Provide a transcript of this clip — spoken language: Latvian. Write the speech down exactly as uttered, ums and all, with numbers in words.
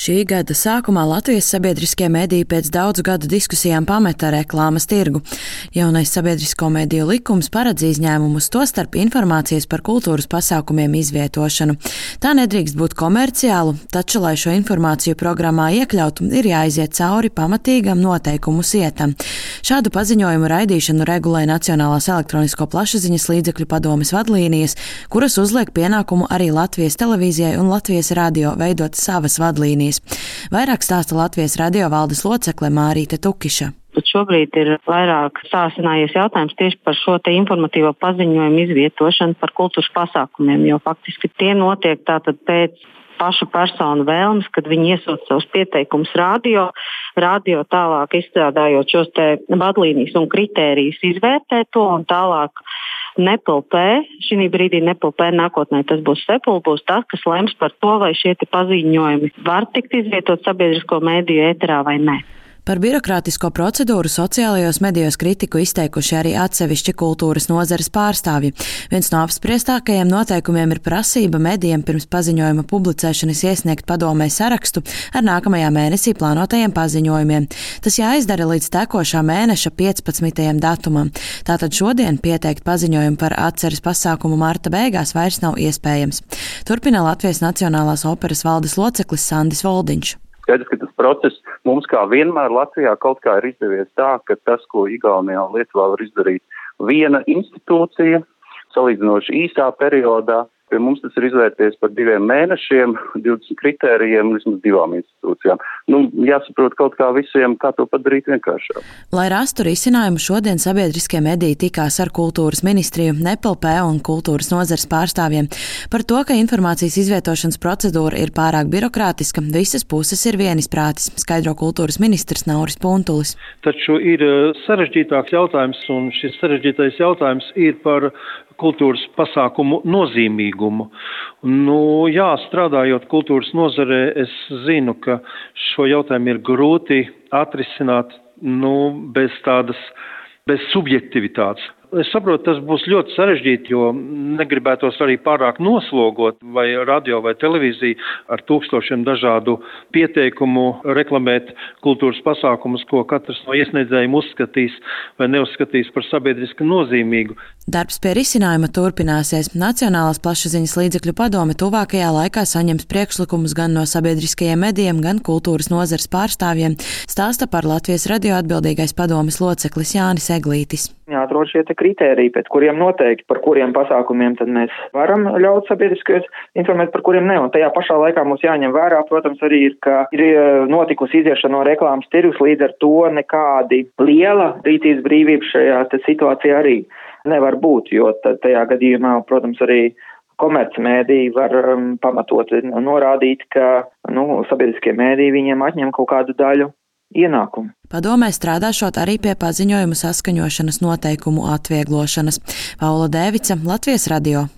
Šī gada sākumā Latvijas sabiedriskie mediji pēc daudzu gadu diskusijām pameta reklāmas tirgu. Jaunais sabiedrisko mediju likums paredz izņēmumus, tostarp informācijas par kultūras pasākumiem izvietošanu. Tā nedrīkst būt komerciālu, taču, lai šo informāciju programmā iekļautu, ir jāiziet cauri pamatīgam noteikumu sietam. Šādu paziņojumu raidīšanu regulē Nacionālās elektronisko plašsaziņas līdzekļu padomes vadlīnijas, kuras uzliek pienākumu arī Latvijas televīzijai un Latvijas radio veidot savas vadlīnijas. Vairāk stāsta Latvijas radio valdes locekle Mārīte Tukiša. Bet šobrīd ir vairāk sāsinājies jautājums tieši par šo te informatīvo paziņojumu izvietošanu par kultūras pasākumiem, jo faktiski tie notiek tātad pēc pašu personu vēlmes, kad viņi iesūta savus pieteikumus radio, radio tālāk izstrādājot šos te vadlīnijas un kritērijus izvērtē to un tālāk N E P L P, šī brīdī N E P L P nākotnē tas būs S E P L, būs tas, kas lems par to, vai šie te paziņojumi var tikt izvietot sabiedrisko mediju ēterā vai nē. Par birokrātisko procedūru sociālajos medijos kritiku izteikuši arī atsevišķi kultūras nozares pārstāvji. Viens no apspriestākajiem noteikumiem ir prasība medijiem pirms paziņojuma publicēšanas iesniegt padomē sarakstu ar nākamajā mēnesī plānotajiem paziņojumiem. Tas jāizdara līdz tekošā mēneša piecpadsmitajam datumam. Tātad šodien pieteikt paziņojumu par atceres pasākumu marta beigās vairs nav iespējams. Turpina Latvijas Nacionālās operas valdes loceklis Sandis Voldiņš. Skaidrs, ka tas process mums kā vienmēr Latvijā kaut kā ir izdevies tā, ka tas, ko Igaunijā un Lietuvā var izdarīt viena institūcija, salīdzinoši īsā periodā, pie mums tas ir izvērties par diviem mēnešiem, divdesmit kritērijiem, vismaz divām institūcijām. Nu, jāsaprot kaut kā visiem, kā to padarīt vienkāršāk. Lai rastu risinājumu, šodien sabiedriskie mediji tikās ar kultūras ministriju, N E P L P un kultūras nozares pārstāvjiem. Par to, ka informācijas izvietošanas procedūra ir pārāk birokrātiska, visas puses ir vienisprātis, skaidro kultūras ministrs Nauris Puntulis. Taču ir sarežģītāks jautājums, un šis sarežģītais jautājums ir par kultūras pasākumu nozīmīgumu. Nu, jā, strādājot kultūras nozarē, es zinu, ka šo jautājumu ir grūti atrisināt, nu, bez tādas, bez subjektivitātes. Es saprotu, tas būs ļoti sarežģīti, jo negribētos arī pārāk noslogot vai radio vai televīziju ar tūkstošiem dažādu pieteikumu reklamēt kultūras pasākumus, ko katrs no iesniedzējiem uzskatīs vai neuzskatīs par sabiedriski nozīmīgu. Darbs pie risinājuma turpināsies. Nacionālās plašsaziņas līdzekļu padome tuvākajā laikā saņems priekšlikumus gan no sabiedriskajiem medijiem, gan kultūras nozares pārstāvjiem, stāsta par Latvijas radio atbildīgais padomes loceklis Jānis Eglītis. Jāatrod šie te kritēriji, pēc kuriem noteikti, par kuriem pasākumiem tad mēs varam ļaut sabiedriskajos informēt, par kuriem ne. Un tajā pašā laikā mums jāņem vērā, protams, arī ir, ka ir notikusi iziešana no reklāmas tirgus, līdz ar to nekādi liela rīcības brīvība šajā situācijā arī nevar būt, jo tajā gadījumā, protams, arī komercmēdiji var um, pamatot norādīt, ka nu, sabiedriskie mēdīji viņiem atņem kaut kādu daļu ienākumu. Padomē strādāšot arī pie paziņojumu saskaņošanas noteikumu atvieglošanas. Paula Dēvica, Latvijas radio.